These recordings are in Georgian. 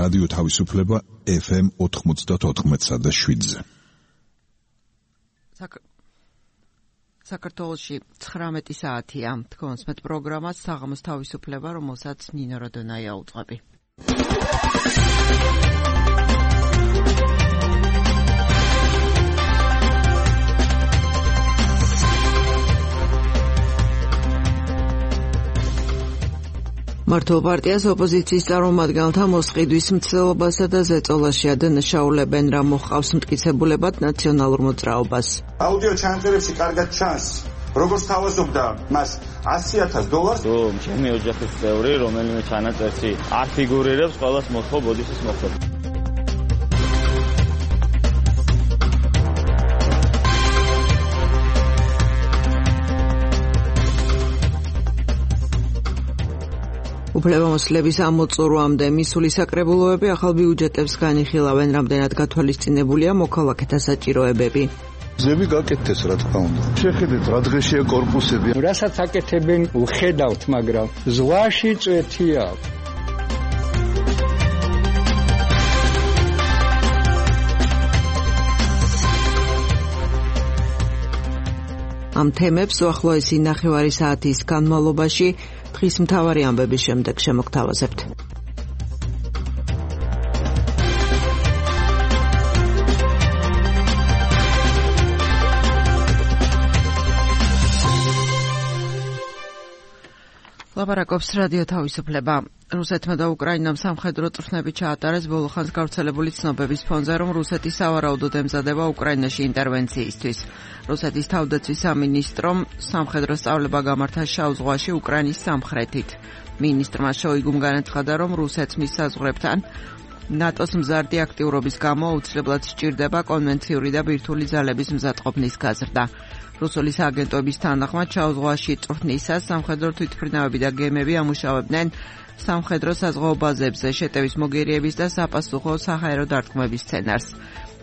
რადიო თავისუფლება FM 94.7-ზე. საქართველოში 19 საათია. თქვენს მეტ პროგრამას საღამოს თავისუფლება, რომელსაც ნინო როდონაია უძღვები. მართლ პარტიას ოპოზიციის წარმომადგენელთა მოსყიდვის მცდელობასა და ზეწოლაში ადანაშაულებენ, რა მოჰყავს მტკიცებულებად ნაციონალურ მოძრაობას. აუდიო ჩანაწერებში კარგად ჩანს, როგორც თავაზობდა მას $100,000. რომ ჩემი ოჯახის წევრი, რომელიმე ჩანაწერში არ ფიგურირებს, ყველას მოთხოვ ბოდიშის მოხდება. უფლებამოსილების ამოწურვამდე მისული საკრებულოები ახალ ბიუჯეტებს განიხილავენ, რამდენად გათვალისწინებულია მოქალაქეთა საჭიროებები. ზები გაკეთდეს, რა თქმა უნდა. შეხედეთ, რა დღეშია კორპუსები. რასაც აკეთებენ, უხედავთ, მაგრამ ზღვაში წვეთია. ამ თემებს უახლოესი ნახევარი საათის განმავლობაში დღის მთავარი ამბების შემდეგ შემოგთავაზებთ. ლაპარაკობს რადიო თავისუფლება. რუსეთმა და უკრაინამ სამხედრო წვრთნები ჩაატარეს ბოლოხანს გავრცელებული ცნობების ფონზე, რომ რუსეთი სავარაუდოდ ემზადება უკრაინაში ინტერვენციისთვის. რუსეთის თავდაცვის სამინისტრომ სამხედრო სწავლება გამართა შავ ზღვაში უკრაინის სამხრეთით. მინისტრმა შოიგუმ განაცხადა, რომ რუსეთს მის საზღვრებთან ნატოს მზარდი აქტიურობის გამო აუცილებლად სჭირდება კონვენციური და ბირთვული ძალების მზადყოფნის გაზრდა. რუსული სააგენტოების თანახმად შავ ზღვაში წვრთნისას სამხედრო თვითმფრინავები და გემები ამუშავებდნენ სამხედრო საზღვაო ბაზებზე შეტევის მოგერიების და საპასუხო საჰაერო დარტყმების სცენარს.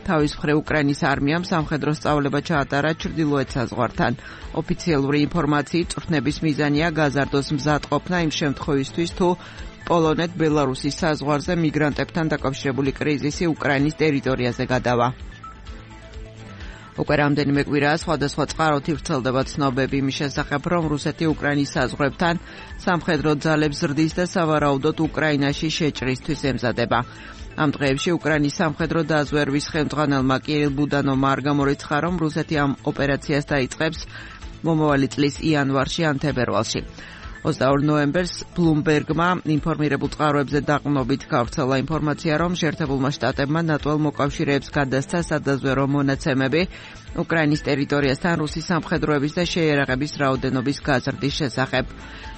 თავის მხრივ უკრაინის არმიამ სამხედრო სწავლება ჩაატარა ჩრდილოეთ საზღვართან. ოფიციალური ინფორმაციით წვრთნების მიზანია გაზარდოს მზადყოფნა იმ შემთხვევისთვის, თუ პოლონეთ-ბელარუსის საზღვარზე მიგრანტებთან დაკავშირებული კრიზისი უკრაინის ტერიტორიაზე გადავა. უკვე რამდენიმე კვირაა სხვადასხვა წყაროთ ვრცელდება ცნობები იმის შესახებ, რომ რუსეთი უკრაინის საზღვრებთან სამხედრო ძალებს ზრდის და სავარაუდოდ უკრაინაში შეჭრისთვის ემზადება. ამ დღეებში უკრაინის სამხედრო დაზვერვის ხელმძღვანელმა კირილ ბუდანოვმა არ გამორიცხა, რომ რუსეთი ამ ოპერაციას დაიწყებს მომავალი წლის იანვარში ან თებერვალში. 22 ნოემბერს ბლუმბერგმა ინფორმირებულ წყაროებზე დაყრდნობით გავრცელა ინფორმაცია, რომ შეერთებულმა შტატებმა ნატოელ მოკავშირეებს გადასცა სადაზვერო მონაცემები უკრაინის ტერიტორიასთან რუსის სამხედროების და შეიარაღების რაოდენობის გაზრდის შესახებ.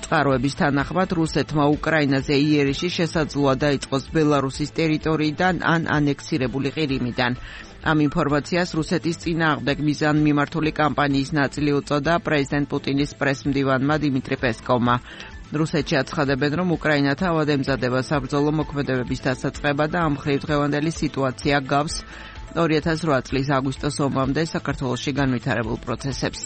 წყაროების თანახმად რუსეთმა უკრაინაზე იერიში შესაძლოა დაიწყოს ბელარუსის ტერიტორიიდან ან ანექსირებული ყირიმიდან. ამ ინფორმაციას რუსეთის წინააღმდეგ მიზანმიმართული კამპანიის ნაწილი უწოდა პრეზიდენტ პუტინის პრესმდივანმა დიმიტრი პესკოვმა. რუსეთში აცხადებენ, რომ უკრაინა თავად ემზადება საბრძოლო მოქმედებების დასაწყება და ამ მხრივ დღევანდელი სიტუაცია გავს 2008 წლის აგვისტოს ომამდე საქართველოში განვითარებულ პროცესებს.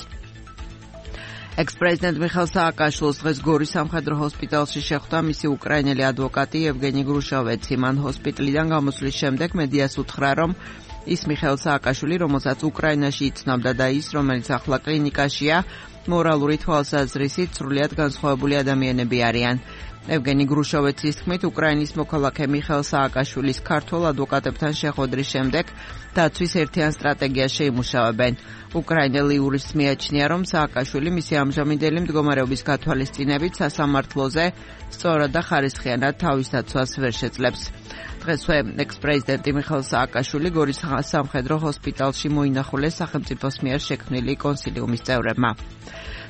ექს-პრეზიდენტ მიხაილ სააკაშვილს დღეს გორის სამხედრო ჰოსპიტალში შეხვდა მისი უკრაინელი ადვოკატი ევგენი გრუშოვეცი. მან ჰოსპიტალიდან გამოსვლის შემდეგ მედიას უთხრა, რომ ის მიხაილ სააკაშვილი, რომელსაც უკრაინაში იცნობდა და ის, რომელიც ახლა კლინიკაშია, მორალური თვალსაზრისით სრულიად განსხვავებული ადამიანები არიან. ევგენი გრუშოვეცის თქმით, უკრაინის მოქალაქე მიხაილ სააკაშვილის ქართველ ადვოკატებთან შეხვედრის შემდეგ დაცვის ერთიან სტრატეგიას შეიმუშავებენ. უკრაინელი იურისტს მიაჩნია, რომ სააკაშვილი მისი ამჟამინდელი მდგომარეობის გათვალისწინებით სასამართლოზე სწორად და ხარისხიანად თავის დაცვას ვერ შეძლებს. დღესვე ექს-პრეზიდენტი მიხაილ სააკაშვილი გორის სამხედრო ჰოსპიტალში მოინახულეს სახელმწიფოს მიერ შექმნილი კონსილიუმის წევრებმა.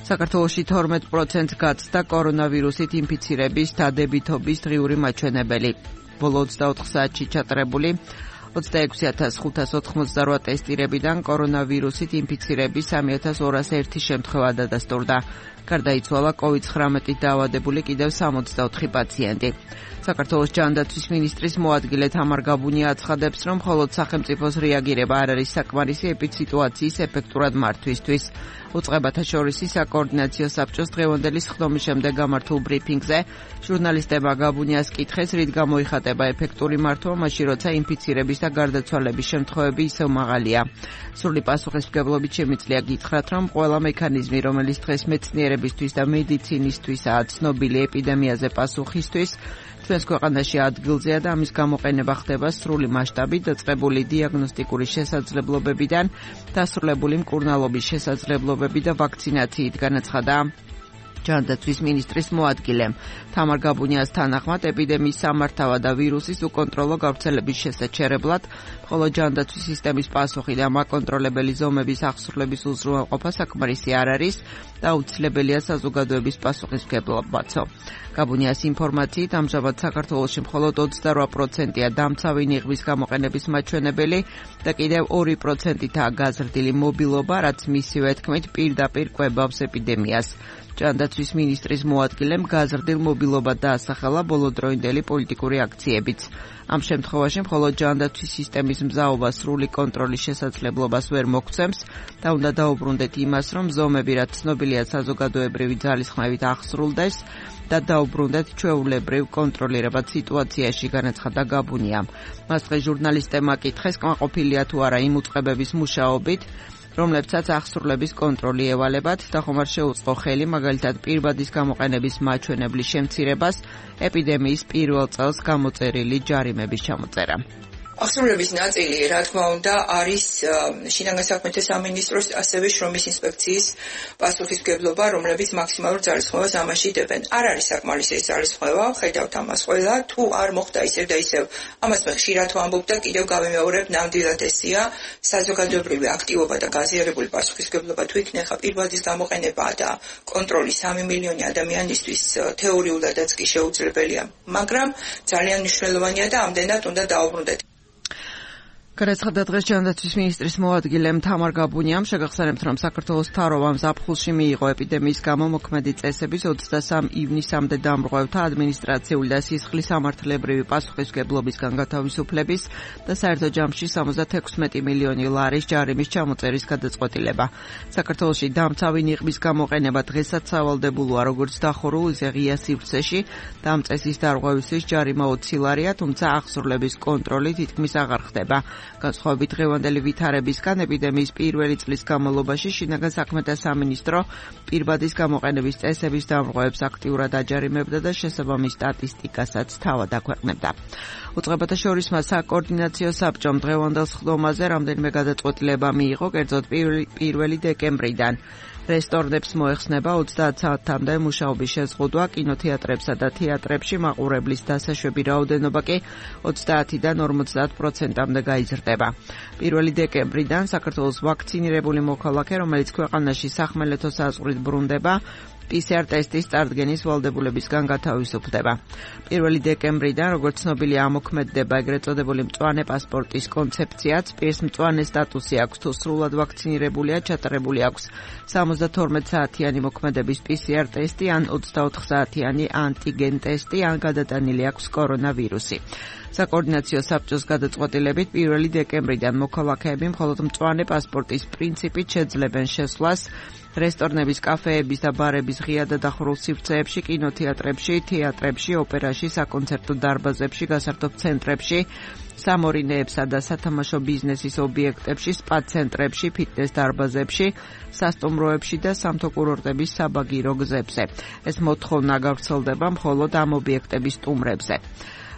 საქართველოში 12% გაცდა კორონავირუსით ინფიცირების დადებითობის დღიური მაჩვენებელი. ბოლო 24 საათში ჩატარებული 26588 ტესტირებიდან კორონავირუსით ინფიცირების 3201 შემთხვევა დადასტურდა. გარდაიცვალა COVID-19-ით დაავადებული კიდევ 64 პაციენტი. საქართველოს ჯანდაცვის მინისტრის მოადგილე თამარ გაბუნია აცხადებს, რომ მხოლოდ სახელმწიფოს რეაგირება არ არის საკმარისი ეპიდსიტუაციის ეფექტურად მართვისთვის. უწყებათა შორის საკოორდინაციო საბჭოს დღევანდელი სხდომის შემდეგ გამართულ ბრიფინგზე ჟურნალისტებმა გაბუნიას კითხეს, რით გამოიხატება ეფექტური მართვა, მაშინ როცა ინფიცირების და გარდაცვალების შემთხვევები ისევ მაღალია. სრული პასუხისმგებლობით შემიძლია გითხრათ, რომ ყველა მექანიზმი, რომელიც დღეს მეცნიერებისთვის და მედიცინისთვისაა ცნობილი ეპიდემიაზე პასუხისთვის, ჩვენს ქვეყანაში ადგილზეა და ამის გამოყენება ხდება სრული მასშტაბით დაწყებული დიაგნოსტიკური შესაძლებლობებიდან დასრულებული მკურნალობის შესაძლებლობები და ვაქცინაციით, განაცხადა ჯანდაცვის მინისტრის მოადგილემ. თამარ გაბუნიას თანახმად ეპიდემიის სამართავად და ვირუსის უკონტროლო გავრცელების შესაჩერებლად მხოლოდ ჯანდაცვის სისტემის პასუხი და მაკონტროლებელი ზომების აღსრულების უზრუნველყოფა საკმარისი არ არის და აუცილებელია საზოგადოების პასუხისმგებლობაცო. გაბუნიას ინფორმაციით ამჟამად საქართველოში მხოლოდ 28%-ია დამცავი ნიღბის გამოყენების მაჩვენებელი და კიდევ 2%-ითაა გაზრდილი მობილობა, რაც მისივე თქმით პირდაპირ კვებავს ეპიდემიას. ჯანდაცვის მინისტრის მოადგილემ გაზრდილ მობილობად დაასახელა ბოლოდროინდელი პოლიტიკური აქციებიც. ამ შემთხვევაში მხოლოდ ჯანდაცვის სისტემის მზაობა სრული კონტროლის შესაძლებლობას ვერ მოგცემს და უნდა დაუბრუნდეთ იმას, რომ ზომები, რაც ცნობილია საზოგადოებრივი ძალისხმევით აღსრულდეს და დაუბრუნდეთ ჩვეულებრივ კონტროლირებად სიტუაციაში, განაცხადა გაბუნიამ. მას დღეს ჟურნალისტებმა კითხეს, კმაყოფილია თუ არა იმ უწყებების მუშაობით, რომლებსაც აღსრულების კონტროლი ევალებათ და ხომარ შეუწყო ხელი მაგალითად პირბადის გამოყენების მაჩვენებლის შემცირებას, ეპიდემიის პირველ წელს გამოწერილი ჯარიმების ჩამოწერა. აღსრულების ნაწილი, რა თქმა უნდა, არის შინაგან საქმეთა სამინისტროს, ასევე შრომის ინსპექციის პასუხისმგებლობა, რომლებიც მაქსიმალურ ძალისხმევას ამაში დებენ. არ არის საკმარისი ეს ძალისხმევა, ხედავთ ამას ყველა, თუ არ მოხდა ისევ და ისევ. ამას მე ხშირად ვამბობ და კიდევ გავიმეორებ, ნამდვილად ესია საზოგადოებრივი აქტივობა და გაზიარებული პასუხისმგებლობა თუ იქნება პირბადის გამოყენება და კონტროლი 3 მილიონი ადამიანისთვის თეორიულადაც კი შეუძლებელია, მაგრამ ძალიან მნიშვნელოვანია და ამდენად უნდა დაუბრუნდეთ. განაცხადა დღეს ჯანდაცვის მინისტრის მოადგილემ თამარ გაბუნიამ, შეგახსენებთ, რომ საქართველოს მთავრობამ ზაფხულში მიიღო ეპიდემიის გამო მოქმედი წესების 23 ივნისამდე დამრღვევთა ადმინისტრაციული და სისხლის სამართლებრივი პასუხისმგებლობისგან გათავისუფლების და საერთო ჯამში 76 მილიონი ლარის ჯარიმის ჩამოწერის გადაწყვეტილება. საქართველოში დამცავი ნიღბის გამოყენება დღესაც სავალდებულოა, როგორც დახურულ, ისე ღია სივრცეში და ამ წესის დარღვევისთვის ჯარიმა 20 ლარია, თუმცა აღსრულების კონტროლი თითქმის აღარ ხდება. განსხვავებით დღევანდელი ვითარებისგან, ეპიდემიის პირველი წლის განმავლობაში შინაგან საქმეთა სამინისტრო პირბადის გამოყენების წესების დამრღვევებს აქტიურად აჯარიმებდა და შესაბამის სტატისტიკასაც თავად აქვეყნებდა. უწყებათა შორის საკოორდინაციო საბჭომ დღევანდელ სხდომაზე რამდენიმე გადაწყვეტილება მიიღო, კერძოდ 1 დეკემბრიდან. რესტორნებს მოეხსნება 30 საათამდე მუშაობის შეზღუდვა, კინოთეატრებსა და თეატრებში მაყურებლის დასაშვები რაოდენობა კი 30-დან 50%-მდე გაიზრდება. 1 დეკემბრიდან საქართველოს ვაქცინირებული მოქალაქე, რომელიც ქვეყანაში სახმელეთო საზღვრით ბრუნდება, PCR ტესტის წარდგენის ვალდებულებისგან გათავისუფლდება. 1 დეკემბრიდან, როგორც ცნობილია, ამოქმედდება ეგრეთ წოდებული მწვანე პასპორტის კონცეფციაც, პირს მწვანე სტატუსი აქვს თუ სრულად ვაქცინირებულია, ჩატარებული აქვს 72 საათიანი მოქმედების PCR ტესტი ან 24 საათიანი ანტიგენ ტესტი, ან გადატანილი აქვს კორონავირუსი. საკოორდინაციო საბჭოს გადაწყვეტილებით 1 დეკემბრიდან მოქალაქეები მხოლოდ მწვანე პასპორტის პრინციპით შეძლებენ შესვლას რესტორნების, კაფეების და ბარების ღია და დახურულ სივრცეებში, კინოთეატრებში, თეატრებში, ოპერაში, საკონცერტო დარბაზებში, გასართობ ცენტრებში, სამორინეებსა და სათამაშო ბიზნესის ობიექტებში, სპა ცენტრებში, ფიტნეს დარბაზებში, სასტუმროებში და სამთო კურორტების საბაგირო გზებზე. ეს მოთხოვნა გავრცელდება მხოლოდ ამ ობიექტების სტუმრებზე.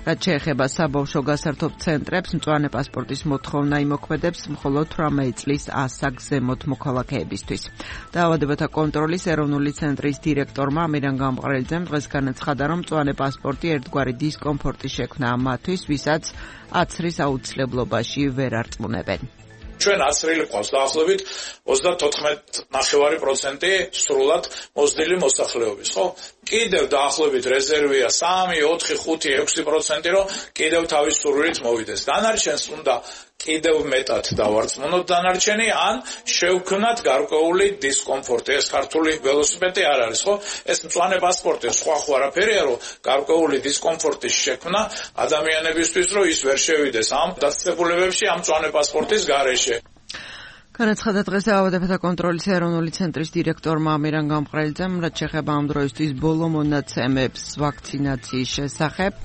რაც შეეხება საბავშვო გასართობ ცენტრებს, მწვანე პასპორტის მოთხოვნა იმოქმედებს მხოლოდ 18 წლის ასაგზემოთ მოქალაქეებისთვის. დაავადებათა კონტროლის ეროვნული ცენტრის დირექტორმა ამირან გამყრელიძემ დღეს განაცხადა, რომ მწვანე პასპორტი ერთგვარი დისკომფორტი შექმნა მათთვის, ვისაც აცრის აუცილებლობაში ვერ არწმუნებენ. ჩვენ აცრილი ყავს დაახლოებით 34.9% სრულად მოზრდილი მოსახლეობის, ხო? კიდევ დაახლოებით რეზერვია 3, 4, 5, 6%, რომ კიდევ თავის სურვილით მოვიდეს. დანარჩენს უნდა კიდევ მეტად დავარწმუნოთ დანარჩენი, ან შევქმნათ გარკვეული დისკომფორტი. ეს ქართული ველოსიპედი არ არის, ხო? ეს მწვანე პასპორტი სხვა არაფერია, რომ გარკვეული დისკომფორტის შექმნა ადამიანებისთვის, რომ ის ვერ შევიდეს ამ დაწესებულებებში ამ მწვანე პასპორტის გარეშე. განაცხადა დღეს დაავადებათა კონტროლის ეროვნული ცენტრის დირექტორმა ამირან გამყრელიძემ, რაც შეეხება ამ დროისთვის ბოლო მონაცემებს ვაქცინაციის შესახებ.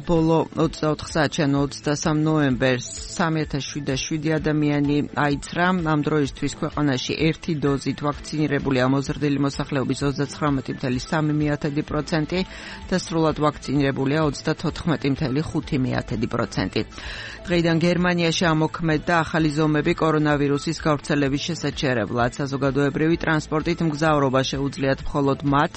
ბოლო 24 საათიდან 23 ნოემბერს 3007 ადამიანი აიცრა. ამ დროისთვის ქვეყანაში ერთი დოზით ვაქცინირებულია მოზრდილი მოსახლეობის 39.3% და სრულად ვაქცინირებულია 34.5%. დღეიდან გერმანიაში ამოქმედდა ახალი ზომები კორონავირუსის გავრცელების შესაჩერებლად. საზოგადოებრივი ტრანსპორტით მგზავრობა შეუძლიათ მხოლოდ მათ,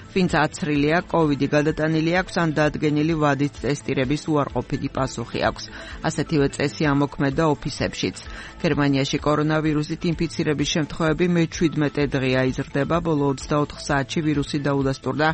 ვინც აცრილია, კოვიდი გადატანილი აქვს ან დადგენილი ვადით ტესტირების უარყოფითი პასუხი აქვს. ასეთივე წესი ამოქმედდა ოფისებშიც. გერმანიაში კორონავირუსით ინფიცირების შემთხვევები მე-17 დღეა იზრდება. ბოლო 24 საათში ვირუსი დაუდასტურდა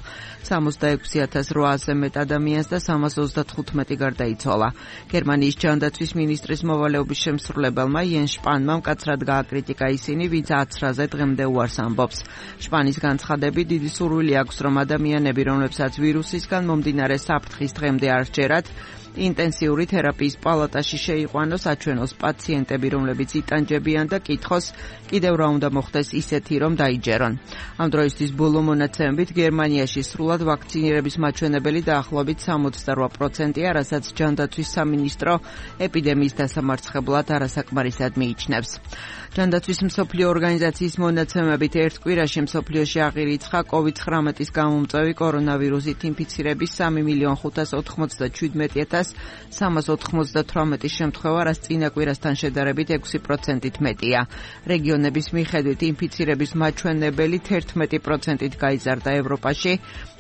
66,800-ზე მეტ ადამიანს და 335 გარდაიცვალა. გერმანიის ჯანდაცვის მინისტრის მოვალეობის შემსრულებელმა იენ შპანმა მკაცრად გააკრიტიკა ისინი, ვინც აცრაზე დღემდე უარს ამბობს. შპანის განცხადებით დიდი სურვილი აქვს, რომ ადამიანები, რომლებსაც ვირუსისგან მომდინარე საფრთხის დღემდე არ სჯერათ, ინტენსიური თერაპიის პალატაში შეიყვანოს, აჩვენოს პაციენტები, რომლებიც იტანჯებიან და კითხოს, კიდევ რა უნდა მოხდეს ისეთი, რომ დაიჯერონ. ამ დროისთვის ბოლო მონაცემებით გერმანიაში სრულად ვაქცინირების მაჩვენებელი დაახლოებით 68%-ია, რასაც ჯანდაცვის სამინისტრო ეპიდემიის დასამარცხებლად არასაკმარისად მიიჩნევს. ჯანდაცვის მსოფლიო ორგანიზაციის მონაცემებით ერთ კვირაში მსოფლიოში აღირიცხა COVID-19-ის გამომწვევი კორონავირუსით ინფიცირების 3,517,398 შემთხვევა, რაც წინა კვირასთან შედარებით 6%-ით მეტია. რეგიონების მიხედვით ინფიცირების მაჩვენებელი 11%-ით გაიზარდა ევროპაში.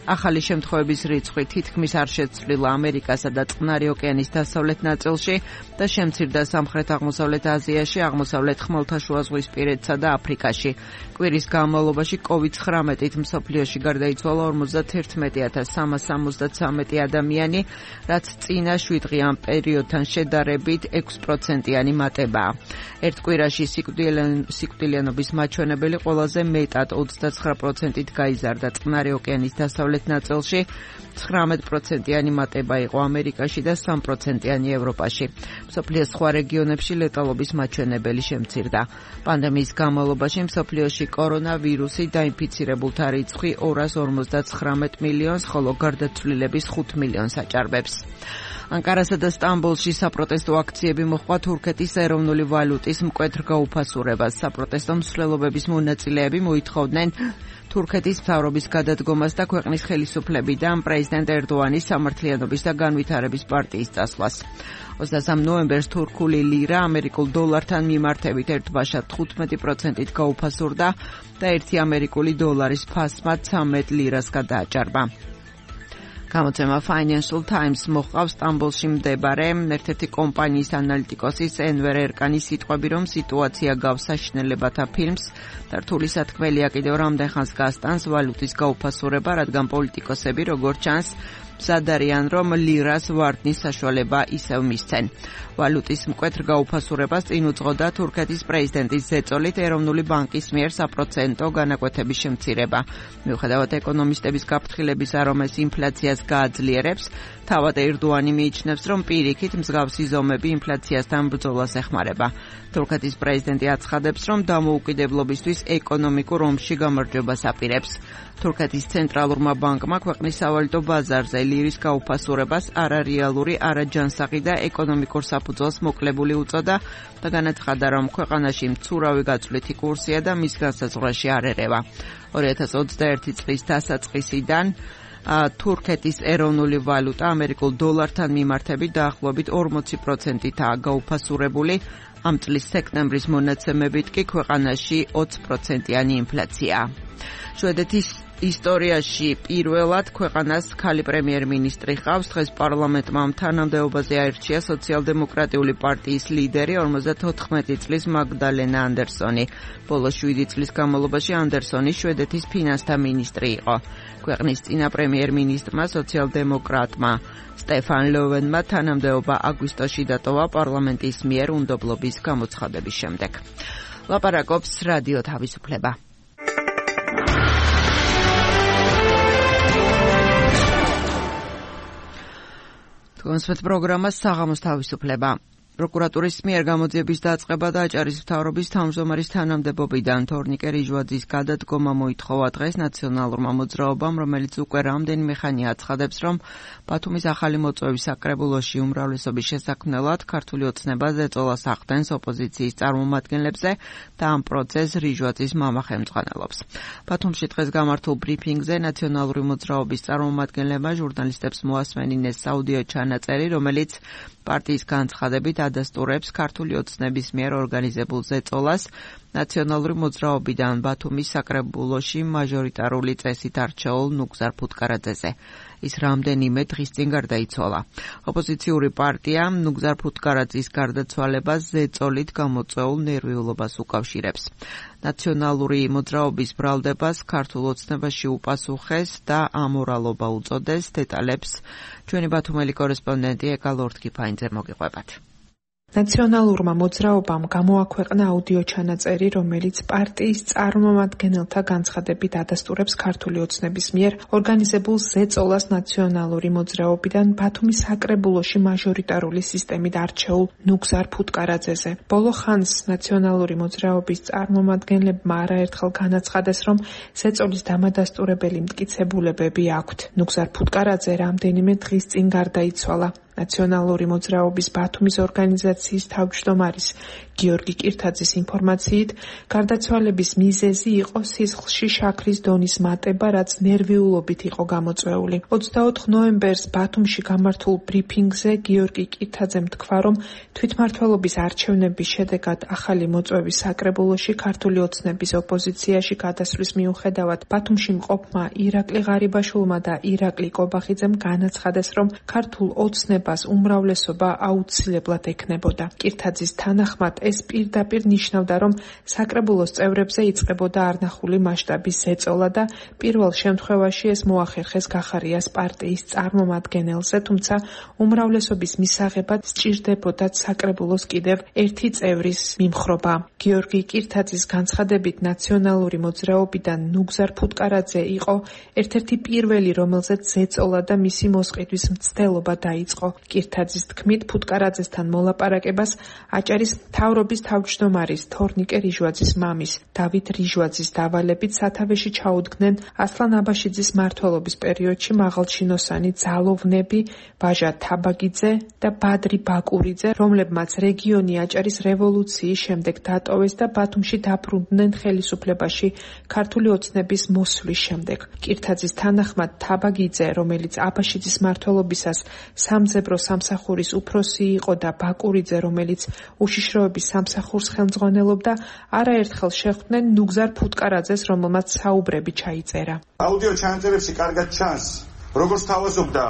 ახალი შემთხვევების რიცხვი თითქმის არ შეცვლილა ამერიკასა და წყნარი ოკეანის დასავლეთ ნაწილში და შემცირდა სამხრეთ-აღმოსავლეთ აზიაში, აღმოსავლეთ ხმელთაშუაზღვისპირეთსა და აფრიკაში. კვირის განმავლობაში COVID-19-ით მსოფლიოში გარდაიცვალა 51,363 ადამიანი, რაც წინა 7 დღიან პერიოდთან შედარებით 6%-იანი მატებაა. ერთ კვირაში სიკვდილიანობის მაჩვენებელი ყველაზე მეტად 29%-ით გაიზარდა წყნარი ოკეანის დასავლეთ ნაწილში, 19%-იანი მატება იყო ამერიკაში და 3%-იანი ევროპაში. მსოფლიოს სხვა რეგიონებში ლეტალობის მაჩვენებელი შემცირდა. პანდემიის განმავლობაში მსოფლიოში კორონავირუსი დაინფიცირებულთა რიცხვი 259 მილიონს, ხოლო გარდაცვლილების 5 მილიონს აჭარბებს. ანკარასა და სტამბოლში საპროტესტო აქციები მოჰყვა თურქეთის ეროვნული ვალუტის მკვეთრ გაუფასურებას. საპროტესტო მსვლელობების მონაწილეები მოითხოვდნენ თურქეთის მთავრობის გადადგომას და ქვეყნის ხელისუფლებიდან პრეზიდენტ ერდოანის სამართლიანობის და განვითარების პარტიის წასვლას. 23 ნოემბერს თურქული ლირა ამერიკულ დოლართან მიმართებით ერთბაშად 15%-ით გაუფასურდა და 1 ამერიკული დოლარის ფასმა 13 ლირას გადააჭარბა. გამოცემა Financial Times მოჰყავს სტამბოლში მდებარე ერთ-ერთი კომპანიის ანალიტიკოსის ენვერ ერკანის სიტყვები, რომ სიტუაცია გავს საშინელებათა ფილმს და რთული სათქმელია კიდევ რამდენ ხანს გასტანს ვალუტის გაუფასურება, რადგან პოლიტიკოსები, როგორც ჩანს, მზად არიან, რომ ლირას ვარდნის საშუალება ისევ მისცენ. ვალუტის მკვეთრ გაუფასურებას წინ უძღოდა თურქეთის პრეზიდენტის ზეწოლით ეროვნული ბანკის მიერ საპროცენტო განაკვეთების შემცირება. მიუხედავად ეკონომისტების გაფრთხილებისა, რომ ეს ინფლაციას გააძლიერებს, თავად ერდოანი მიიჩნევს, რომ პირიქით მსგავსი ზომები ინფლაციასთან ბრძოლას ეხმარება. თურქეთის პრეზიდენტი აცხადებს, რომ დამოუკიდებლობისთვის ეკონომიკურ ომში გამარჯვებას აპირებს. თურქეთის ცენტრალურმა ბანკმა ქვეყნის სავალუტო ბაზარზე ლირის გაუფასურებას არარეალური, არაჯანსაღი და ეკონომიკურ საფუძველს მოკლებული უწოდა და განაცხადა, რომ ქვეყანაში მცურავი გაწვლითი კურსია და მის განსაზღვრაში არ ერევა. 2021 წლის დასაწყისიდან თურქეთის ეროვნული ვალუტა ამერიკულ დოლართან მიმართებით დაახლოებით 40%-ითაა გაუფასურებული. ამ წლის სექტემბრის მონაცემებით კი ქვეყანაში 20%-იანი ინფლაციაა. შვედეთის ისტორიაში პირველად ქვეყანას ქალი პრემიერ-მინისტრი ყავს. დღეს პარლამენტმა თანამდებობაზე აირჩია სოციალ-დემოკრატიული პარტიის ლიდერი 54 წლის მაგდალენა ანდერსონი. ბოლო 7 წლის განმავლობაში ანდერსონი შვედეთის ფინანსთა მინისტრი იყო. ქვეყნის წინა პრემიერ-მინისტრმა სოციალ-დემოკრატმა სტეფან ლოვენმა თანამდებობა აგვისტოში დატოვა პარლამენტის მიერ უნდობლობის გამოცხადების შემდეგ. ლაპარაკობს რადიო თავისუფლება. კონსვეთ პროგრამა საღამოს თავისუფლება. პროკურატურის მიერ გამოძიების დაწყება და აჭარის მთავრობის თავმჯდომარის თანამდებობიდან თორნიკე რიჟვაძის გადადგომა მოითხოვა დღეს ნაციონალურმა მოძრაობამ, რომელიც უკვე რამდენიმე ხანია აცხადებს, რომ ბათუმის ახალი მოწვევის საკრებულოში უმრავლესობის შესაქმნელად ქართული ოცნება ზეწოლას ახდენს ოპოზიციის წარმომადგენლებზე და ამ პროცესს რიჟვაძის მამა ხელმძღვანელობს. ბათუმში დღეს გამართულ ბრიფინგზე ნაციონალური მოძრაობის წარმომადგენლებმა ჟურნალისტებს მოასმენინეს საუდიო ჩანაწერი, რომელიც პარტიის განცხადებით ადასტურებს ქართული ოცნების მიერ ორგანიზებულ ზეწოლას ნაციონალური მოძრაობიდან ბათუმის საკრებულოში მაჟორიტარული წესით არჩეულ ნუგზარ ფუტკარაძეზე. ის რამდენიმე დღის წინ გარდაიცვალა. ოპოზიციური პარტია ნუგზარ ფუტკარაძის გარდაცვალებას ზეწოლით გამოწვეულ ნერვიულობას უკავშირებს. ნაციონალური მოძრაობის ბრალდებას ქართულ ოცნებაში უპასუხეს და ამორალობა უწოდეს. დეტალებს ჩვენი ბათუმელი კორესპონდენტი ეკა ლორთქიფაინძე მოგიყვებათ. ნაციონალურმა მოძრაობამ გამოაქვეყნა აუდიო ჩანაწერი, რომელიც პარტიის წარმომადგენელთა განცხადებით ადასტურებს ქართული ოცნების მიერ ორგანიზებულ ზეწოლას ნაციონალური მოძრაობიდან ბათუმის საკრებულოში მაჟორიტარული სისტემით არჩეულ ნუგზარ ფუტკარაძეზე. ბოლო ხანს ნაციონალური მოძრაობის წარმომადგენლებმა არაერთხელ განაცხადეს, რომ ზეწოლის დამადასტურებელი მტკიცებულებები აქვთ. ნუგზარ ფუტკარაძე რამდენიმე დღის წინ გარდაიცვალა. ნაციონალური მოძრაობის ბათუმის ორგანიზაციის თავმჯდომარის გიორგი კირთაძის ინფორმაციით, გარდაცვალების მიზეზი იყო სისხლში შაქრის დონის მატება, რაც ნერვიულობით იყო გამოწვეული. 24 ნოემბერს ბათუმში გამართულ ბრიფინგზე გიორგი კირთაძემ თქვა, რომ თვითმმართველობის არჩევნების შედეგად ახალი მოწვევის საკრებულოში ქართული ოცნების ოპოზიციაში გადასვლის მიუხედავად ბათუმში მყოფმა ირაკლი ღარიბაშვილმა და ირაკლი კობახიძემ განაცხადეს, რომ ქართულ ოცნებას უმრავლესობა აუცილებლად ექნებოდა. კირთაძის თანახმად ეს პირდაპირ ნიშნავდა, რომ საკრებულოს წევრებზე იწყებოდა არნახული მასშტაბის ზეწოლა და პირველ შემთხვევაში ეს მოახერხეს გახარიას პარტიის წარმომადგენელზე, თუმცა უმრავლესობის მისაღებად სჭირდებოდა საკრებულოს კიდევ ერთი წევრის მიმხრობა. გიორგი კირთაძის განცხადებით ნაციონალური მოძრაობიდან ნუგზარ ფუტკარაძე იყო ერთ-ერთი პირველი, რომელზეც ზეწოლა და მისი მოსყიდვის მცდელობა დაიწყო. კირთაძის თქმით, ფუტკარაძესთან მოლაპარაკებას აჭარის მთავრობის თავმჯდომარის თორნიკე რიჟვაძის მამის დავით რიჟვაძის დავალებით სათავეში ჩაუდგნენ ასლან აბაშიძის მმართველობის პერიოდში მაღალჩინოსანი ძალოვნები ვაჟა თაბაგიძე და ბადრი ბაკურიძე, რომლებმაც რეგიონი აჭარის რევოლუციის შემდეგ დატოვეს და ბათუმში დაბრუნდნენ ხელისუფლებაში ქართული ოცნების მოსვლის შემდეგ. კირთაძის თანახმად თაბაგიძე, რომელიც აბაშიძის მმართველობისას სამძებრო სამსახურის უფროსი იყო და ბაკურიძე, რომელიც უშიშროების სამსახურს ხელმძღვანელობდა, არაერთხელ შეხვდნენ ნუგზარ ფუტკარაძეს, რომელმაც საუბრები ჩაიწერა. აუდიო ჩანაწერებში კარგად ჩანს, როგორც თავაზობდა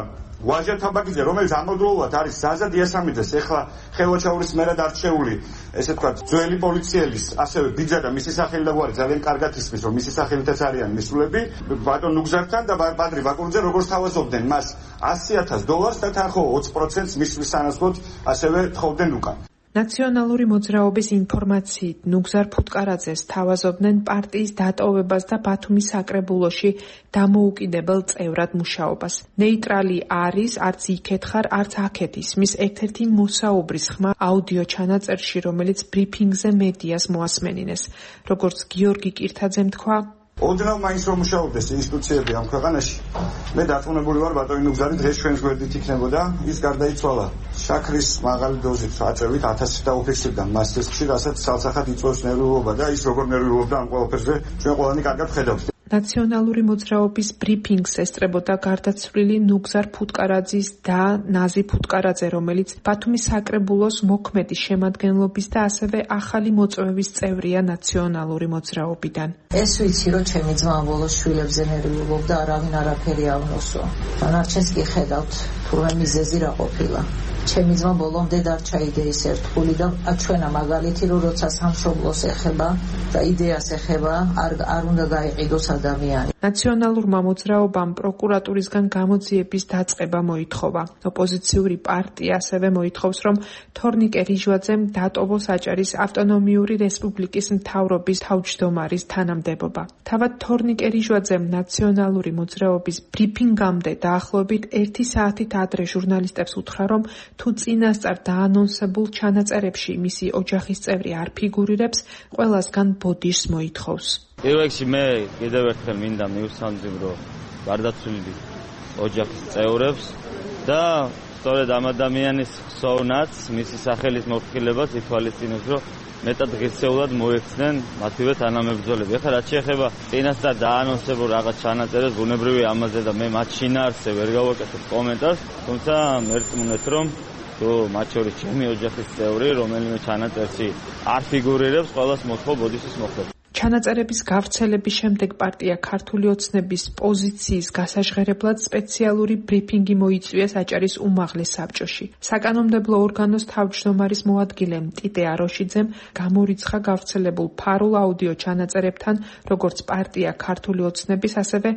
ვაჟა თაბაგიძე, რომელიც ამავდროულად არის ზაზა დიასამიძეს, ეხლა ხელვაჩაურის მერად არჩეული, ესე ვთქვათ, ძველი პოლიციელის, ასევე ბიძა და მისი სახელი და გვარი ძალიან კარგად ისმის, რომ მისი სახელითაც არიან მისულები, ბატონ ნუგზართან და ბადრი ბაკურიძე როგორც თავაზობდნენ მას $100,000 და თანხმობა 20%-ს მისვლის სანაცვლოდ ასევე თხოვდნენ უკან. ნაციონალური მოძრაობის ინფორმაციით ნუგზარ ფუტკარაძეს თავაზობდნენ პარტიის დატოვებას და ბათუმის საკრებულოში დამოუკიდებელ წევრად მუშაობას. ნეიტრალი არის, არც იქეთ ხარ, არც აქეთ ისმის ერთ-ერთი მოსაუბრის ხმა აუდიო ჩანაწერში, რომელიც ბრიფინგზე მედიას მოასმენინეს. როგორც გიორგი კირთაძემ თქვა, ოდნავ მაინც რომ მუშაობდეს ინსტიტუციები ამ ქვეყანაში, მე დარწმუნებული ვარ ბატონი ნუგზარი დღეს ჩვენს გვერდით იქნებოდა. ის გარდაიცვალა შაქრის მაღალი დოზით აწევით 1000 დაუფიქსირდა მას სისხლში, რასაც ცალსახად იწვევს ნერვიულობა და ის როგორ ნერვიულობდა ამ ყველაფერზე ჩვენ ყველანი კარგად ვხედავთ. ნაციონალური მოძრაობის ბრიფინგს ესწრებოდა გარდაცვლილი ნუგზარ ფუტკარაძის და ნაზი ფუტკარაძე, რომელიც ბათუმის საკრებულოს მოქმედი შემადგენლობის და ასევე ახალი მოწვევის წევრია ნაციონალური მოძრაობიდან. ეს ვიცი, რომ ჩემი ძმა ბოლოს შვილებზე ნერვიულობდა, არავინ არაფერი ავნოსო. დანარჩენს კი ხედავთ, თურმე მიზეზი რა ყოფილა. ჩემი ძმა ბოლომდე დარჩა იდეის ერთგული და ჩვენა მაგალითი, რომ როცა სამშობლოს ეხება და იდეას ეხება, არ უნდა გაიყიდოს ადამიანი. ნაციონალურმა მოძრაობამ პროკურატურისგან გამოძიების დაწყება მოითხოვა. ოპოზიციური პარტია ასევე მოითხოვს, რომ თორნიკე რიჟვაძემ დატოვოს აჭარის ავტონომიური რესპუბლიკის მთავრობის თავმჯდომარის თანამდებობა. თავად თორნიკე რიჟვაძემ ნაციონალური მოძრაობის ბრიფინგამდე დაახლოებით 1 საათით ადრე ჟურნალისტებს უთხრა, რომ თუ წინასწარ დაანონსებულ ჩანაწერებში მისი ოჯახის წევრი არ ფიგურირებს, ყველასგან ბოდიშს მოითხოვს. პირველში მე კიდევ ერთხელ მინდა მივსამძიმრო გარდაცვლილი ოჯახის წევრებს და სწორედ ამ ადამიანის ხსოვნაც, მისი სახელის მოფხილებას ითვალისწინებს, რომ მეტად ღირსეულად მოექცნენ მათივე თანამებრძოლები. ეხლა რაც შეეხება წინასწარ დაანონსებულ რაღაც ჩანაწერებს, ბუნებრივია ამაზე და მე მათ შინაარსზე ვერ გავაკეთებ კომენტარს, თუმცა მერწმუნეთ, რომ თუ მათ შორის ჩემი ოჯახის წევრი, რომელიმე ჩანაწერში არ ფიგურირებს, ყველას მოთხოვ ბოდიშის მოხდება. ჩანაწერების გავრცელების შემდეგ პარტია ქართული ოცნების პოზიციის გასაჟღერებლად სპეციალური ბრიფინგი მოიწვიეს აჭარის უმაღლეს საბჭოში. საკანონმდებლო ორგანოს თავმჯდომარის მოადგილემ ტიტე აროშიძემ გამორიცხა გავრცელებულ ფარულ აუდიო ჩანაწერებთან, როგორც პარტია ქართული ოცნების, ასევე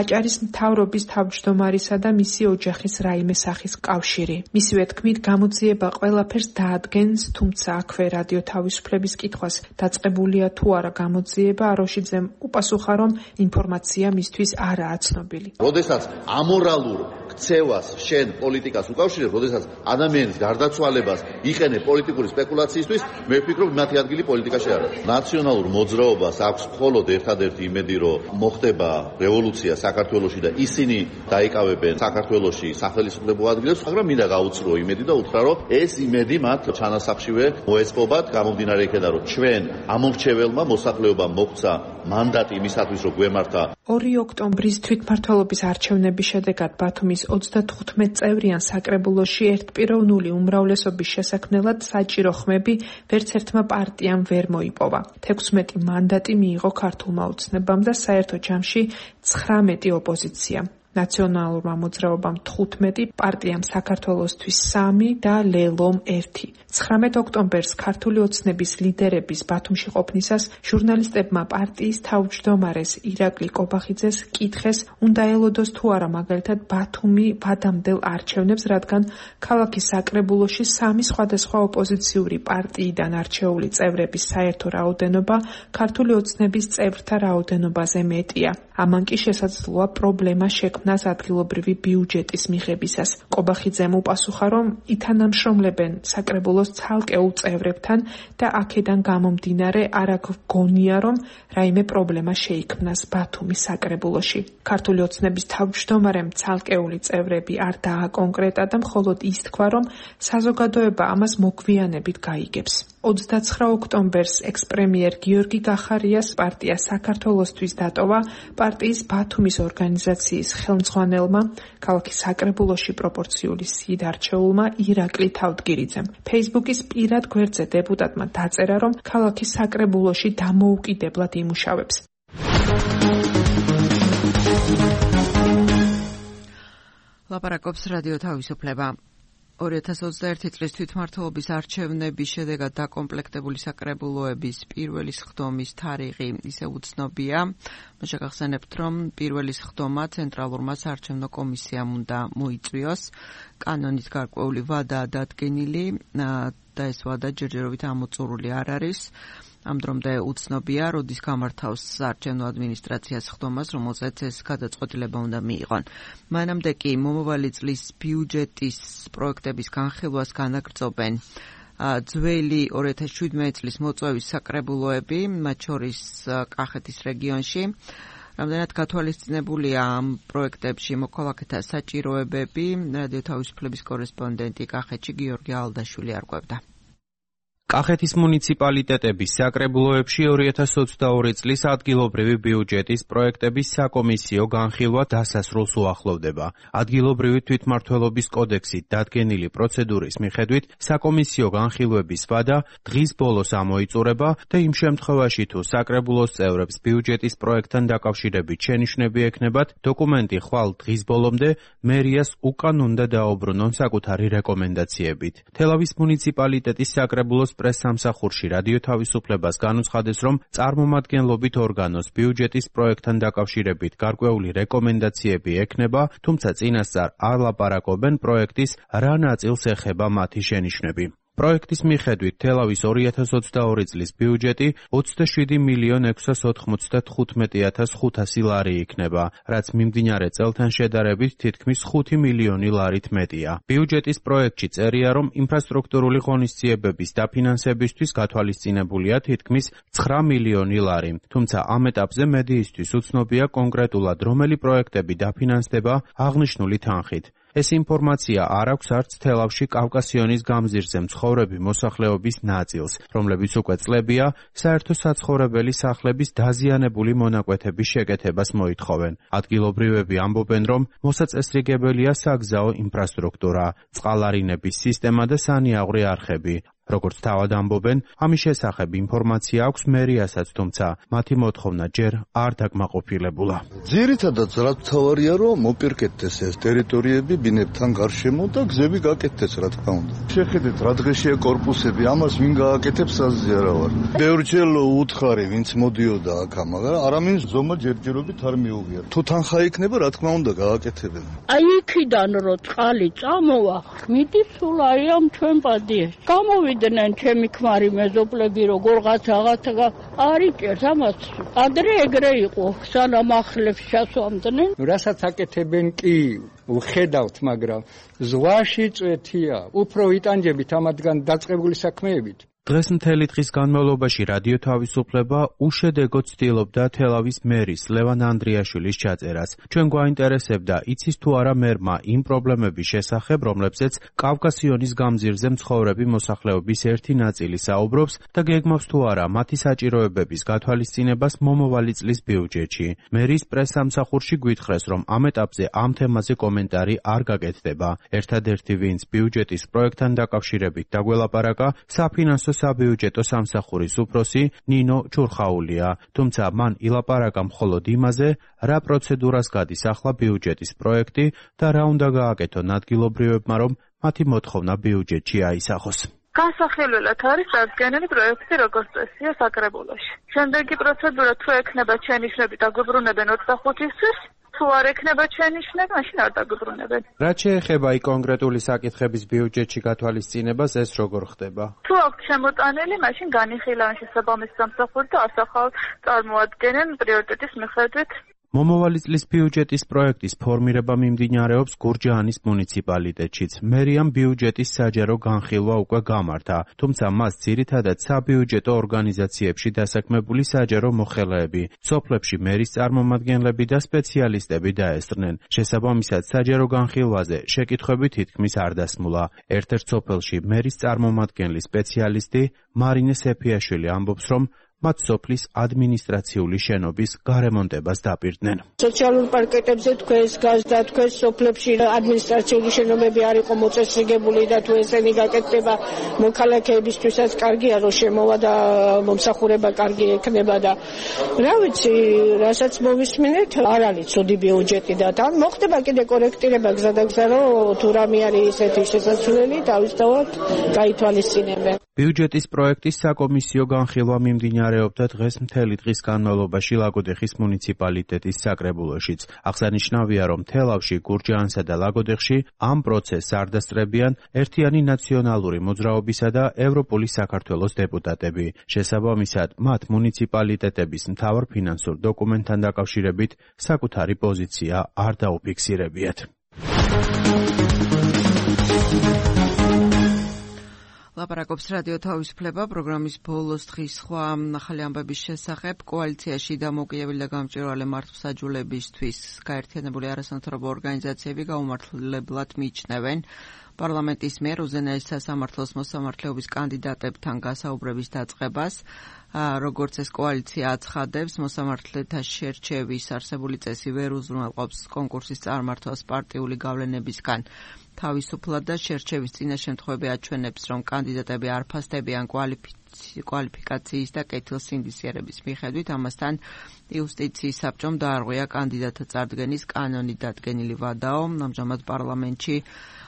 აჭარის მთავრობის თავმჯდომარისა და მისი ოჯახის რაიმე სახის კავშირი. მისივე თქმით, გამოძიება ყველაფერს დაადგენს, თუმცა აქვე რადიო თავისუფლების კითხვას დაწყებულია თუ არა გამოძიება, აროშიძემ უპასუხა, რომ ინფორმაცია მისთვის არაა ცნობილი. როდესაც ამორალურ ქცევას შენ პოლიტიკას უკავშირებ, როდესაც ადამიანის გარდაცვალებას იყენებ პოლიტიკური სპეკულაციისთვის, მე ვფიქრობ, მათი ადგილი პოლიტიკაში არ არის. ნაციონალურ მოძრაობას აქვს მხოლოდ ერთადერთი იმედი, რომ მოხდება რევოლუცია საქართველოში და ისინი დაიკავებენ საქართველოში სახელმწიფო ადგილებს, მაგრამ მინდა გაუწრო იმედი და უთხრა, რომ ეს იმედი მათ ჩანასახშივე მოეწყობათ, გამომდინარე იქედან, რომ ჩვენ ამორჩეველმა მოსახლეობამ მოგვცა მანდატი იმისათვის, რომ გვემართა. 2 ოქტომბრის თვითმმართველობის არჩევნების შედეგად ბათუმის 35 წევრიან საკრებულოში ერთპიროვნული უმრავლესობის შესაქმნელად საჭირო ხმები ვერც ერთმა პარტიამ ვერ მოიპოვა. 16 მანდატი მიიღო ქართულმა ოცნებამ და საერთო ჯამში 19 ოპოზიციამ. ნაციონალურმა მოძრაობამ 15, პარტიამ საქართველოსთვის 3 და ლელომ 1. 19 ოქტომბერს ქართული ოცნების ლიდერების ბათუმში ყოფნისას ჟურნალისტებმა პარტიის თავმჯდომარეს ირაკლი კობახიძეს კითხეს, უნდა ელოდოს თუ არა მაგალითად ბათუმი ვადამდელ არჩევნებს, რადგან ქალაქის საკრებულოში 3 სხვადასხვა ოპოზიციური პარტიიდან არჩეული წევრების საერთო რაოდენობა ქართული ოცნების წევრთა რაოდენობაზე მეტია. ამან კი შესაძლოა პრობლემა შექმნას ადგილობრივი ბიუჯეტის მიღებისას. კობახიძემ უპასუხა, რომ ითანამშრომლებენ საკრებულოს ცალკეულ წევრებთან და აქედან გამომდინარე არ გონია, რომ რაიმე პრობლემა შეიქმნას ბათუმის საკრებულოში. ქართული ოცნების თავმჯდომარემ ცალკეული წევრები არ დააკონკრეტა და მხოლოდ ის თქვა, რომ საზოგადოება ამას მოგვიანებით გაიგებს. 29 ოქტომბერს ექს-პრემიერ გიორგი გახარიას პარტია საქართველოსთვის დატოვა პარტიის ბათუმის ორგანიზაციის ხელმძღვანელმა, ქალაქის საკრებულოში პროპორციული სიდ არჩეულმა ირაკლი თავდგირიძემ. ფეისბუქის პირად გვერდზე დეპუტატმა დაწერა, რომ ქალაქის საკრებულოში დამოუკიდებლად იმუშავებს. ლაპარაკობს რადიო თავისუფლება. 2021 წლის თვითმმართველობის არჩევნების შედეგად დაკომპლექტებული საკრებულოების პირველი სხდომის თარიღი ისევ უცნობია. შეგახსენებთ, რომ პირველი სხდომა ცენტრალურმა საარჩევნო კომისიამ უნდა მოიწვიოს. კანონით გარკვეული ვადაა დადგენილი და ეს ვადა ჯერჯერობით ამოწურული არ არის. ამ დრომდე უცნობია, როდის გამართავს საარჩევნო ადმინისტრაციას სხდომას, რომელზეც ეს გადაწყვეტილება უნდა მიიღონ. მანამდე კი მომავალი წლის ბიუჯეტის პროექტების განხილვას განაგრძობენ ძველი 2017 წლის მოწვევის საკრებულოები, მათ შორის კახეთის რეგიონში. რამდენად გათვალისწინებულია ამ პროექტებში მოქალაქეთა საჭიროებები, რადიო თავისუფლების კორესპონდენტი კახეთში გიორგი ალდაშვილი არკვევდა. კახეთის მუნიციპალიტეტების საკრებულოებში 2022 წლის ადგილობრივი ბიუჯეტის პროექტების საკომისიო განხილვა დასასრულს უახლოვდება. ადგილობრივი თვითმმართველობის კოდექსით დადგენილი პროცედურის მიხედვით საკომისიო განხილვების ვადა დღის ბოლოს ამოიწურება და იმ შემთხვევაში თუ საკრებულოს წევრებს ბიუჯეტის პროექტთან დაკავშირებით შენიშვნები ექნებათ, დოკუმენტი ხვალ დღის ბოლომდე მერიას უკან უნდა დაუბრუნონ საკუთარი რეკომენდაციებით. თელავის მუნიციპალიტეტის საკრებულოს პრესსამსახურში რადიო თავისუფლებას განუცხადეს, რომ წარმომადგენლობით ორგანოს ბიუჯეტის პროექტთან დაკავშირებით გარკვეული რეკომენდაციები ექნება, თუმცა წინასწარ არ ლაპარაკობენ პროექტის რა ნაწილს ეხება მათი შენიშვნები. პროექტის მიხედვით თელავის 2022 წლის ბიუჯეტი 27,695,500 ლარი იქნება, რაც მიმდინარე წელთან შედარებით თითქმის 5 მილიონი ლარით მეტია. ბიუჯეტის პროექტში წერია, რომ ინფრასტრუქტურული ღონისძიებების დაფინანსებისთვის გათვალისწინებულია თითქმის 9 მილიონი ლარი. თუმცა ამ ეტაპზე მედიისთვის უცნობია კონკრეტულად რომელი პროექტები დაფინანსდება აღნიშნული თანხით. ეს ინფორმაცია არ აქვს არც თელავში კავკასიონის გამზირზე მცხოვრები მოსახლეობის ნაწილს, რომლებიც უკვე წლებია საერთო საცხოვრებელი სახლების დაზიანებული მონაკვეთების შეკეთებას მოითხოვენ. ადგილობრივები ამბობენ, რომ მოსაწესრიგებელია საგზაო ინფრასტრუქტურა, წყალარინების სისტემა და სანიაღვრე არხები. როგორც თავად ამბობენ, ამის შესახებ ინფორმაცია აქვს მერიასაც, თუმცა მათი მოთხოვნა ჯერ არ დაკმაყოფილებულა. ძირითადად რაც თავარია, რომ მოპირკეთდეს ეს ტერიტორიები ბინებთან გარშემო და გზები გაკეთდეს, რა თქმა უნდა. შეხედეთ, რა დღეშია კორპუსები, ამას ვინ გააკეთებს, ასზე არა ვარ. ბევრჯერ უთხარი, ვინც მოდიოდა აქ, მაგრამ არავინ ზომა ჯერჯერობით არ მიუღია. თუ თანხა იქნება, რა თქმა უნდა, გააკეთებენ. აი იქიდან რო წყალი წამოვა, მიდის სულ აი ამ ჩვენ პადიეს. დენ ჩემი ქმარი მეზობლები როგორღაც აღაცა არიჭერს ამას ადრე ეგრე იყო სანამ ახლებს ჩასვამდნენ რასაც აკეთებენ კი ვხედავთ მაგრამ ზღვაში წვეთია უფრო იტანჯებით ამათგან დაწყებული საქმეებით დღეს მთელი დღის განმავლობაში რადიო თავისუფლება უშედეგო ცდილობდა თელავის მერის ლევან ანდრიაშვილის ჩაწერას. ჩვენ გვაინტერესებდა, იცის თუ არა მერმა იმ პრობლემების შესახებ, რომლებზეც კავკასიონის გამზირზე მცხოვრები მოსახლეობის ერთი ნაწილი საუბრობს და გეგმავს თუ არა მათი საჭიროებების გათვალისწინებას მომავალი წლის ბიუჯეტში. მერის პრესსამსახურში გვითხრეს, რომ ამ ეტაპზე ამ თემაზე კომენტარი არ გაკეთდება. ერთადერთი ვინც ბიუჯეტის პროექტთან დაკავშირებით დაგველაპარაკა, საფინანსო საბიუჯეტო სამსახურის უფროსი ნინო ჩურხაულია, თუმცა მან ილაპარაკა მხოლოდ იმაზე, რა პროცედურას გადის ახლა ბიუჯეტის პროექტი და რა უნდა გააკეთონ ადგილობრივებმა, რომ მათი მოთხოვნა ბიუჯეტში აისახოს. განსახილველად არის დადგენილი პროექტი როგორც წესია საკრებულოში. შემდეგი პროცედურა თუ ექნება შენიშვნები დაგვიბრუნებენ 25-ისთვის, თუ არ ექნება შენიშვნები, მაშინ არ დაგვიბრუნებენ. რაც შეეხება აი კონკრეტული საკითხების ბიუჯეტში გათვალისწინებას, ეს როგორ ხდება? თუ აქვთ შემოტანილი, მაშინ განიხილავენ შესაბამის სამსახური და ასახავ წარმოადგენენ პრიორიტეტის მიხედვით. მომავალი წლის ბიუჯეტის პროექტის ფორმირება მიმდინარეობს გურჯაანის მუნიციპალიტეტშიც. მერიამ ბიუჯეტის საჯარო განხილვა უკვე გამართა, თუმცა მას ძირითადად საბიუჯეტო ორგანიზაციებში დასაქმებული საჯარო მოხელეები, სოფლებში მერის წარმომადგენლები და სპეციალისტები დაესწრნენ. შესაბამისად, საჯარო განხილვაზე შეკითხვები თითქმის არ დასმულა. ერთ-ერთ სოფელში მერის წარმომადგენლის სპეციალისტი მარინე სეფიაშვილი ამბობს, რომ მათ სოფლის ადმინისტრაციული შენობის გარემონტებას დაპირდნენ. სოციალურ პარკეტებზე თქვენს გაზდა, თქვენს სოფლებში ადმინისტრაციული შენობები არ იყო მოწესრიგებული და თუ ესენი გაკეთდება მოქალაქეებისთვისაც კარგია რომ შემოვა და მომსახურება კარგი ექნება და რა ვიცი, რასაც მოვისმინეთ, არ არის ცუდი ბიუჯეტი და თან მოხდება კიდე კორექტირება გზადაგზა რომ თუ რამე არის ესეთი შესაძლებელი თავისთავად გაითვალისწინებენ. ბიუჯეტის პროექტის საკომისიო განხილვა მიმდინარეობდა დღეს მთელი დღის განმავლობაში ლაგოდეხის მუნიციპალიტეტის საკრებულოშიც. აღსანიშნავია, რომ თელავში, გურჯაანსა და ლაგოდეხში ამ პროცესს არ დასწრებიან ერთიანი ნაციონალური მოძრაობისა და ევროპული საქართველოს დეპუტატები. შესაბამისად, მათ მუნიციპალიტეტების მთავარ ფინანსურ დოკუმენტთან დაკავშირებით საკუთარი პოზიცია არ დაუფიქსირებიათ. ლაპარაკობს რადიო თავისუფლება პროგრამის ბოლოს დღის სხვა ახალი ამბების შესახებ. კოალიციაში დამოუკიდებელი და გამჭვირვალე მართლმსაჯულებისთვის გაერთიანებული არასამთავრობო ორგანიზაციები გაუმართლებლად მიიჩნევენ პარლამენტის მიერ უზენაეს სასამართლოს მოსამართლეობის კანდიდატებთან გასაუბრების დაწყებას, როგორც ეს კოალიცია აცხადებს, მოსამართლეთა შერჩევის არსებული წესი ვერ უზრუნველყოფს კონკურსის წარმართვას პარტიული გავლენებისგან. თავისუფლად და შერჩევის წინა შემთხვევები აჩვენებს, რომ კანდიდატები არ ფასდებიან კვალიფიკაციის და კეთილსინდისიერების მიხედვით, ამასთან იუსტიციის საბჭომ დაარღვია კანდიდატთა წარდგენის კანონი დადგენილი ვადაო. ამჟამად პარლამენტში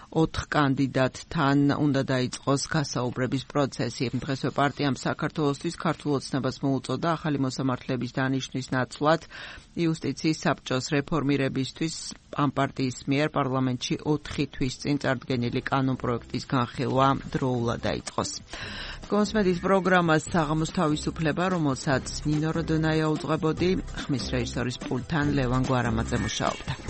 4 კანდიდატთან უნდა დაიწყოს გასაუბრების პროცესი. დღესვე პარტიამ საქართველოსთვის ქართულ ოცნებას მოუწოდა ახალი მოსამართლეების დანიშვნის ნაცვლად იუსტიციის საბჭოს რეფორმირებისთვის ამ პარტიის მიერ პარლამენტში 4 თვის წინ წარდგენილი კანონპროექტის განხილვა დროულად დაიწყოს. კონსმეთის პროგრამას საღამოს თავისუფლება, რომელსაც ნინო როდონაია უძღვებოდი, ხმის რეჟისორის პულტთან ლევან გვარამაძე მუშაობდა.